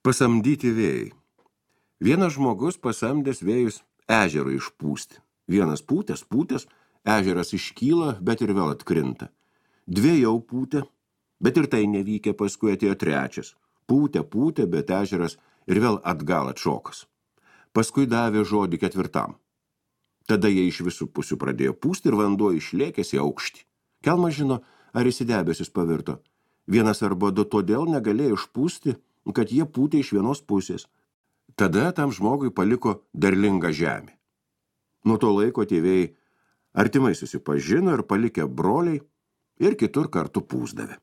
Pasamdyti vėjai. Vienas žmogus pasamdęs vėjus ežerą išpūsti. Vienas pūtės, ežeras iškyla, bet ir vėl atkrinta. Dvi jau pūtė, bet ir tai nevykę, paskui atėjo trečias. Pūtė, bet ežeras ir vėl atgal atšokas. Paskui davė žodį ketvirtam. Tada jie iš visų pusių pradėjo pūsti ir vanduo išlėkęs į aukštį. Kelmas žino, ar jis į debesis pavirto. Vienas arba du todėl negalėjo išpūsti, kad jie pūtė iš vienos pusės. Tada tam žmogui paliko derlingą žemę. Nuo to laiko tėvėjai artimai susipažino ir palikę broliai ir kitur kartu pūsdavė.